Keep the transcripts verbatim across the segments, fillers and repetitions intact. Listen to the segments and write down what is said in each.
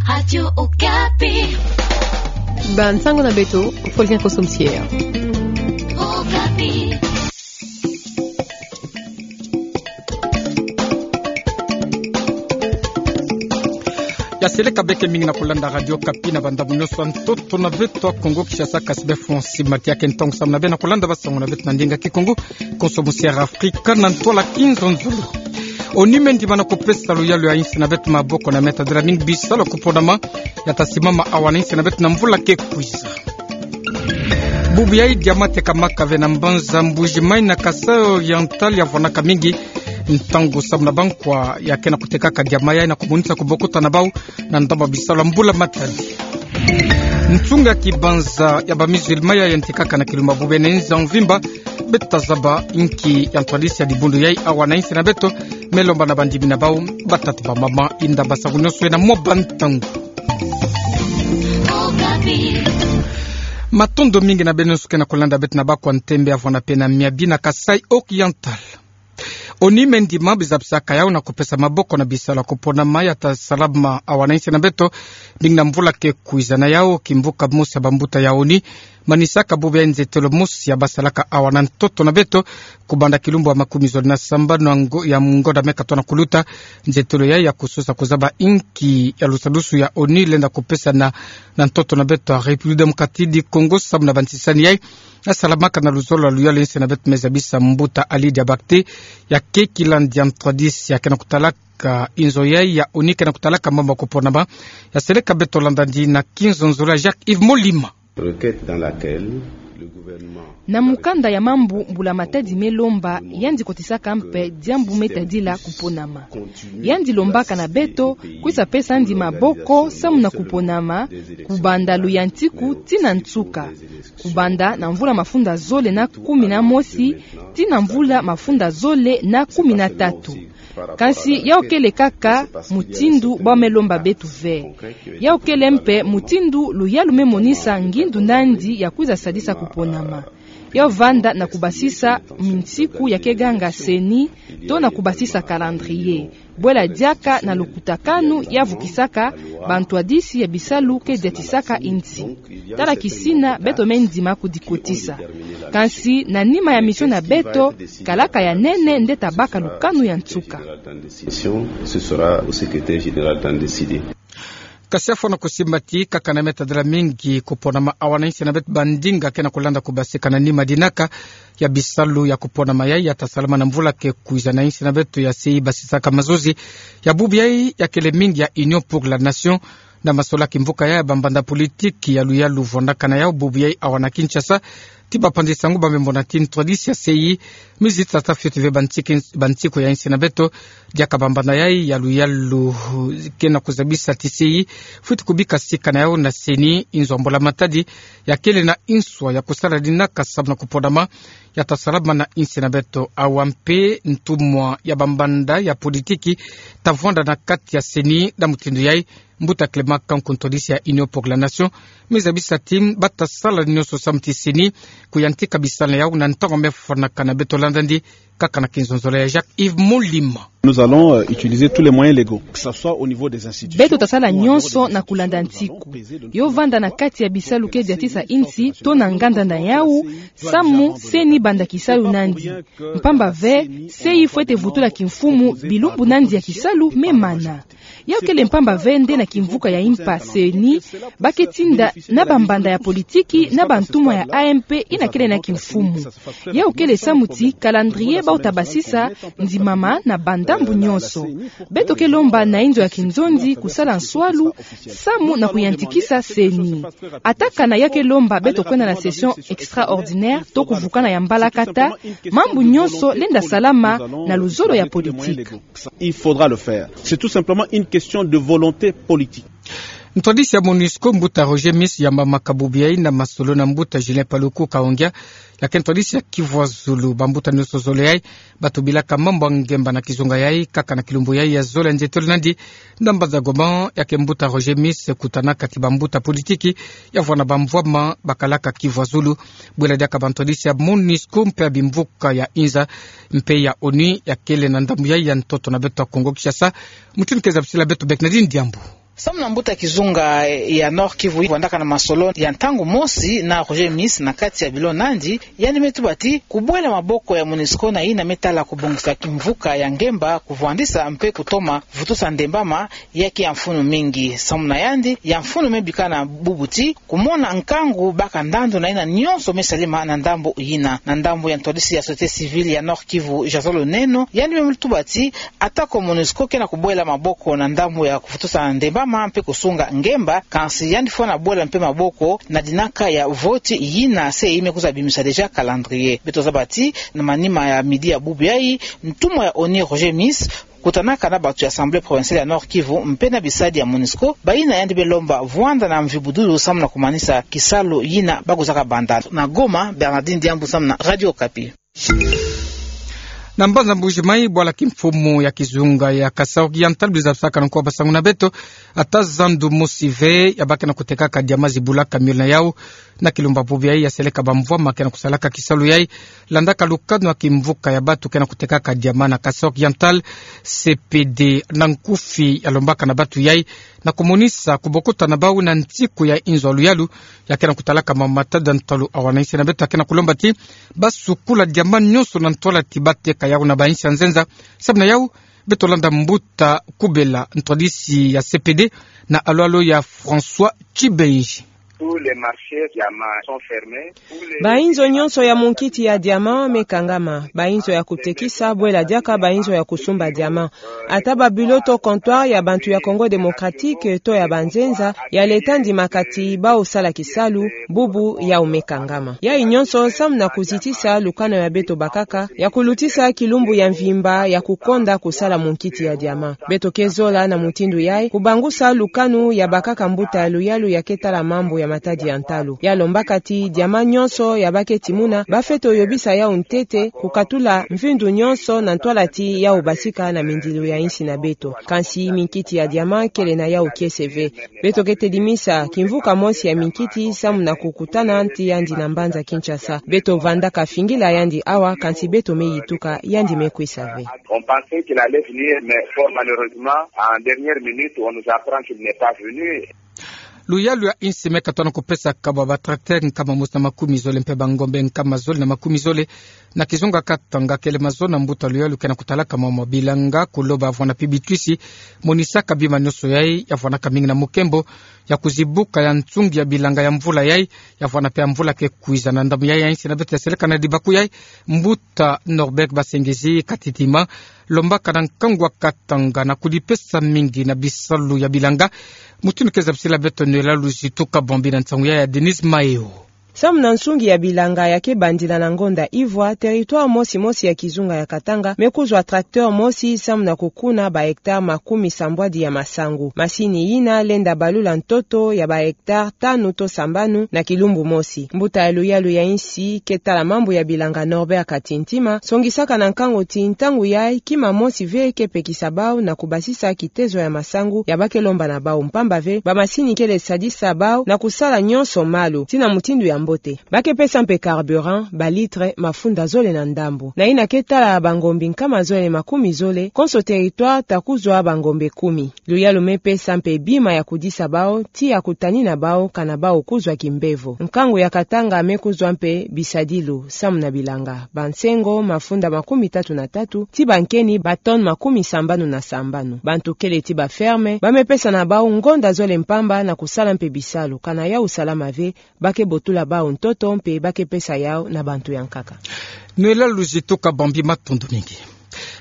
Radio Okapi. Bansango na beto, Fulgence Kosso Msier. Okapi. Ya seleka beke mingi na kulanda Radio Okapi na bandambu nyonso ya ntoto na beto ya Kongo Kinshasa, kasi bê Francis Matiake, ntangu samu na bê na kulanda basango na beto na ndinga Kikongo, Kosso Msier Afrika na ntwala Kinzonzolo. ONU me ndima na kupesa luyalu ya insi na beto maboko na me tadila mingi bisalu ya kuponama ya ta simama awa na insi na beto na mvula ke kwiza. Bubu yayi diamant tekamaka ve na mbanza Mbuji-Mayi na Kasaï Oriental ya vwanaka mingi ntangu samu na bankwa ya ke na kutekaka diamant yayi na kumonisa kubokuta na bau na ndambu ya bisalu ya mbula matadi. Nsunga kibanza ya ba musulman ya yantikaka na kilumbu ya bubu na inza mvimba, bê ta zaba inki ya ntwadisi ya dibundu yayi awa na insi na beto, me lomba na bandimi na bau, batata, bamama, inda basango nyonso ena mwa bantangu. Matondo mingi na bê nyonso ke na kulanda beto na bakwa ntembe ya vwanda pene miabi na Kasaï Oriental. ONU me ndima bizabisaka yau na kupesa maboko na bisalu ya kuponama ya ta salama awa na insi na beto, mingi na mvula ke kwiza. Na yau kimvuka mosi ya bambuta ya ONU manisaka bubu ya nzetelo mosi ya basalaka awa na ntoto na beto, kubanda kilumbu ya makumi zole na sambanu ya ngo-, ya ngonda me katona kuluta. Nzetelo yayi ya kusosa kuzaba inki ya lusadusu ya ONU lenda kupesa na, na ntoto na beto ya République Démocratique du Congo samu na bantisani yayi ya salamaka na luzolo ya luyalu ya insi na beto, me zabisa mbuta Ali Diabakate, ya keki landi ya ntwadisi ya ke na kutalaka inzo yayi ya ONU ke na kutalaka mambu ya kuponama. Ya seleka beto landa ndi na Kinzonzolo ya Jacques Yves Molima. Requête dans laquelle le gouvernement... Na mukanda ya mambu mbula matadi me lomba, yandi kotisaka mpe diambu me tadila kuponama. Yandi lombaka na beto kwiza pesa yandi maboko samu na kuponama, kubanda luyantiku tii na nsuka, kubanda na mvula mafunda zole na kumi na mosi tii na mvula mafunda zole na kumi na tatu. Kansi yau kele kaka mutindu bau me lomba beto ve. Yau kele mpe mutindu luyalu me monisa ngindu na yandi ya kwiza sadisa kuponama. Yau vanda na kubasisa minsiku ya ke ganga CENI, to na kubasisa calendrier. Bwela diaka na lukutakanu ya vukisaka bantwadisi ya bisalu ke diatisaka insi. Tala kisina beto me ndima kudikotisa. Kansi na nima ya mission na beto, kalaka ya nene nde ta baka lukanu ya nsuka. Ce sera au secrétaire général d'en décider. Kasi ya fwana kusimba ti kaka na me tadila mingi kuponama awa na insi na beto, bandinga ke na kulanda kubasika na nima dinaka ya bisalu ya kuponama yayi ya ta salama na mvula ke kwiza na insi na beto ya CEI basisaka mazozi ya bubu yayi ya kele mingi ya Union pour la Nation. Na masolaki mvuka ya bambanda politiki ya luyalu vwandaka na yau bubu yayi awa na Kinshasa, ti bapanzi nsangu ba me mona ti ntwadisi ya CEI, mizi tata fioti ve bansiku, bansiku ya insi na beto, diaka bambanda yayi ya luyalu ke na kuzabisa ti CEI fwiti kubika sika na yau na CENI, inzo ya mbula matadi ya kele na inswa ya kusala dinaka samu na kuponama ya ta salama na insi na beto. Awa mpe ntumwa ya bambanda ya politiki ta vwanda na kati ya CENI. Na mutindu yayi, mbuta Clément Kanku, ntwadisi ya Union pour la Nation, me zabisa ti ba ta sala nyonso samu ti CENI kuyantika bisalu na yau na ntangu me fwanaka. Na beto landa ndi kaka na Kinzonzolo ya Jacques Yves Molima. Nous allons, euh, utiliser tous les moyens légaux, que ça soit au niveau des institutions... Beto ta sala nyonso na kulanda nsiku. Yo vanda na kati ya bisalu ke diatisa insi, to na nganda na yau, samu CENI banda kisalu na yandi. Mpamba ve, CEI fwete vutula kimfumu bilumbu na yandi ya kisalu me mana. Yau kele mpamba ve nde na kimvuka ya impa CENI ba ke tinda na bambanda ya politiki na bantumwa ya A M P yina kele na kimfumu. Yau kele samu ti calendrier bau ta basisa ndimama na bandambu nyonso. Beto ke lomba na inzo ya kinzonzi kusala nswalu samu na kuyantikisa CENI. Ata kana yau ke lomba beto kwenda na session extraordinaire to kuvukana ya mbalakata, mambu nyonso lenda salama na luzolo ya politiki. Il faudra le faire. C'est tout simplement une question de volonté politique. Ntwadisi ya MONUSCO, mbuta Roger Miss, yambamaka bubu yayi na masolo na mbuta Julien Paluku Kahongya, ya ke ntwadisi ya Kivu ya Zulu. Bambuta nyonso zole yayi ba tubilaka mambu ya ngemba na kizunga yayi kaka na kilumbu yayi ya zole ya nzietolo na yandi na mbanza Goma. Ya ke mbuta Roger Miss kutanaka ti bambuta politiki ya vwanda bamvwama bakalaka Kivu ya Zulu, bwela diaka bantwadisi ya MONUSCO mpe ya bimvuka ya inza mpe ya ONU ya kele na ndambu yayi ya ntoto na beto ya Kongo Kinshasa. Mutindu ke zabisila beto, Bernardine Diambu. Samu na mbuta kizunga ya Nord-Kivu vwandaka na masolo ya ntangu mosi na Roger Miss na kati ya bilo nandi, yandi me tuba ti kubwela maboko ya MONUSCO na yina me tala kubongisa kimvuka ya ngemba, kuvwandisa mpe kutoma vutusa ndembama, ya ke ya mfunu mingi. Samu na yandi, ya mfunu me bika na bubu ti kumona nkangu baka ndandu na yina nyonso me salema na ndambu yina. Na ndambu ya ntwadisi ya société civile ya Nord-Kivu, Jason Luneno, yandi me tuba ti atako MONUSCO ke na kubwela maboko na ndambu ya kuvutusa ndembama mpe kusunga ngemba, kansi yandi fwana bwela mpe maboko na dinaka ya vote yina se yi me kwiza bimisa déjà calendrier. Beto zaba ti na manima ya midi ya bubu yayi, ntumwa ya ONU Roger Miss kutanaka na bantu ya Assemblée provinciale ya Nord-Kivu mpe na bisadi ya MONUSCO, bayina yandi be lomba vwanda na mvibudulu samu na kumanisa kisalu yina ba kwizaka banda. Na Goma, Bernardine Diambu samu na Radio Okapi. Na mbanza Mbuji-Mayi, bwala kimfumu ya kizunga ya Kasaï Oriental, biza bisaka na nkuwa basangu na beto, ata zandu mosi ve ya ba ke na kutekaka diama zibula camion na yau na kilumbu bubu yayi, ya seleka bamvwama ke na kusalaka kisalu yayi, landaka lukanu ya kimvuka ya bantu ke na kutekaka diama na Kasaï Oriental, C P D na nkufi ya lombaka na bantu yayi, na kumonisa kubokuta na bau na ntiku ya inzo ya luyalu ya ke na kutalaka ma matada ntalu. Awa na insi na beto ke na kulomba ti ba sukula diama nyonso na ntwala ti ba teka yau na bainsi ya nzenza. Samu na yau, beto landa mbuta Kubela, ntwadisi ya C P D, na alwalo ya François Tshibenge. Tous les marchés diamants sont fermés. Bainzo nyonso ya munkiti ya diama me kangama. Bainzo ya kutekisa, bwela diaka bainzo ya kusumba diama. Ata ba bureau to comptoir ya bantu ya Congo Démocratique to ya banzenza ya leta ndimaka ti bau sala kisalu, bubu yau me kangama. Yayi nyonso samu na kuzitisa lukanu ya beto bakaka ya kulutisa kilumbu ya mvimba ya kukonda kusala munkiti ya diama. Beto ke zola na mutindu yayi kubangusa lukanu ya bakaka mbuta ya luyalu ya ke tala mambu ya matadi ya ntalu. Ya lombaka ti diama nyonso ya ba ke timuna, ba fwete yobisa yau ntete, kukatula mvindu nyonso na ntwala ti yau basika na mindilu ya insi na beto. Kansi minkiti ya diama kele na yau kiese ve. Beto ke tedimisa kimvuka mosi ya minkiti samu na kukutana nti yandi na mbanza Kinshasa. Beto vandaka fingila yandi awa, kansi beto me yituka yandi me kwisa ve. On pensait qu'il allait venir, mais fort malheureusement, en dernière minute, on nous apprend qu'il n'est pas venu. Luyalu ya insi me katono kupesa kabwa ba tracteur nkama mosi na makumi zole mpe ba ngombe nkama zole na makumi zole na kizunga Katanga. Kele mazono mbuta luyalu ke na kutalaka mwa mwa bilanga, kuloba vwanda mpe bitwisi, monisaka bima nyonso yayi ya vwandaka mingi na mukembo ya kuzibuka ya nsungi ya bilanga ya mvula yayi, ya vwanda mpe ya mvula ke kwiza. Na ndambu yayi ya insi na beto ya seleka na dibaku yayi, mbuta Norbert Basengezi Katitima, lombaka na nkangu wa Katanga na kudipesa mingi na bisalu ya bilanga. Mutindu ke zabisila beto Noëlla Luzitu Kabambi na nsangu yayi ya Denise Maeo. Samu na nsungi ya bilanga ya ke bandila na ngonda ivwa, territoire mosi mosi ya kizunga ya Katanga me kuzwa tracteur mosi samu na kukuna ba hectare makumi sambwadi ya masangu. Masini yina lenda balula ntoto ya ba hectare tanu to sambanu na kilumbu mosi. Mbuta ya luyalu ya insi ke tala mambu ya bilanga Norbert Katintima songisaka na nkangu ti ntangu yayi kima mosi ve ke pekisa bau na kubasisa kitezo ya masangu ya ba ke lomba na bau, mpamba ve ba masini kele sadisa bau na kusala nyonso malu ti na mutindu ya mbote. Ba ke pesa mpe carburant, ba litre mafunda zole na ndambu. Na yina ke tala ba ngombe nkama zole makumi zole, konso territoire ta kuzwa ba ngombe kumi. Luyalu me pesa mpe bima ya kudisa bau, ti ya kutanina bau, kana bau kuzwa kimbevo. Nkangu ya Katanga me kuzwa mpe bisadilu samu na bilanga: ba nsengo mafunda makumi tatu na tatu, ti ba nkeni ba tonne makumi sambanu na sambanu. Bantu kele ti ba ferme ba me pesa na bau ngonda zole mpamba na kusala mpe bisalu, kana yau salama ve, ba ke botula bau ntoto mpe ba ke pesa yau na bantu ya nkaka. Noëlla Luzitu Kabambi, matondo mingi.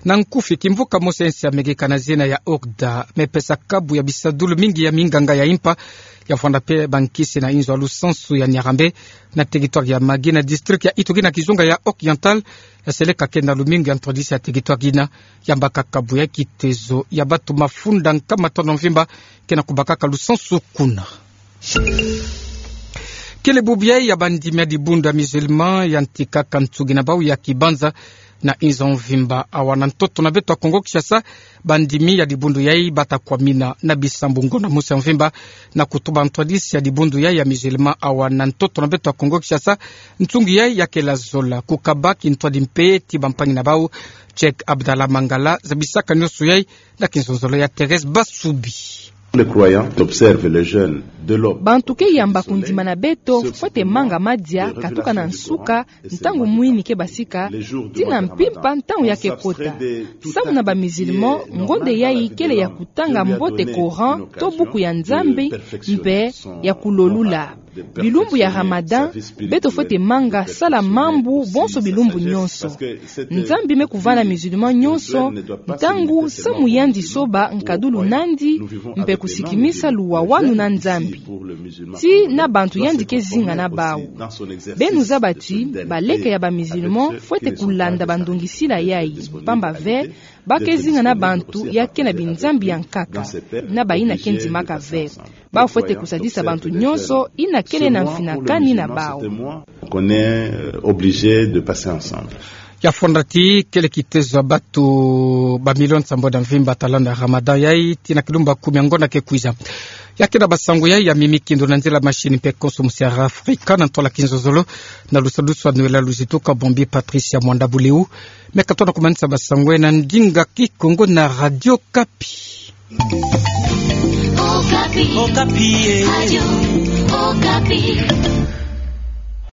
Na nkufi, kimvuka mosi ya insi ya Amerika na zina ya OCDA me pesa kabu ya bisadulu mingi ya minganga ya impa, ya vwanda mpe ba nkisi na inzo ya lusansu ya Niarambe, na territoire ya Magui, na district ya Ituri, na kizunga ya Oriental, ya seleka kena lumingu ya ntwadisi ya territoire yina. Yambaka kabu ya kitezo ya bantu mafunda nkama tanu mvimba ke na kubakaka lusansu kuna. Kele bubu yayi ya bandimi ya dibundu ya musulman yantikaka nsugi na bau ya kibanza na inzo mvimba. Awa na ntoto na beto ya Kongo Kinshasa, bandimi ya dibundu yayi bata kwamina na bisambu ngonda mosi ya mvimba, na kutuba ntwadisi ya dibundu yayi ya musulman. Awa na ntoto na beto ya Kongo Kinshasa, nsugi yayi ya kela zola. Kukaba kintwadi mpe ti bampangi na bau, Cheikh Abdallah Mangala zabisaka nyonso yayi na kinzonzolo ya Thérèse Basubi. Les croyants observent le jeûne de l'aube. Bantu ke yamba kundimana beto fwete manga madia katuka na nsuka, ntangu mwini ke basika, tii na mpimpa ntangu ya ke kota. Samu na ba musulmans, ngonde yayi kele ya kutanga mbote Coran, to buku ya Nzambi, mpe ya kulolula. Bilumbu ya Ramadan, beto fwete manga sala mambu bonso bilumbu nyonso. Nzambi me kuvana musulman nyonso ntangu samu yandi soba nkadulu nandi, mpe kusikimisa luwawanu na Nzambi. Tii na bantu yandi ke zinga na bawu. Beno zaba ti baleke ya ba musulmans fwete kulanda bandongisila yayi, pamba ve, ba ke zinga na bantu ya ke na binzambi ya nkaka, na bayina ke ndimaka ve. Bawu fwete kusadisa bantu nyonso yina kele na mfinakani na bawu. Qu'on est, euh, obligé de passer ensemble. Ya fondati kele kitezo ya bato ba milioni nsambwadi na mvimba talanda Ramadan yayi, tii na kilumbu kumi ya ngonda ke kwiza. Ya ke na basango yayi ya mimi kindo na nzila machine mpe konso musi ya Afrika na ntola kinzozolo, na lusadusu ya nwela luzitu ka bombi Patricia Mwanda Buleu. Me ka tona kumanisa basango yayi na ndinga Kikongo na Radio Okapi. Okapi. Okapi, eh. Radio Okapi.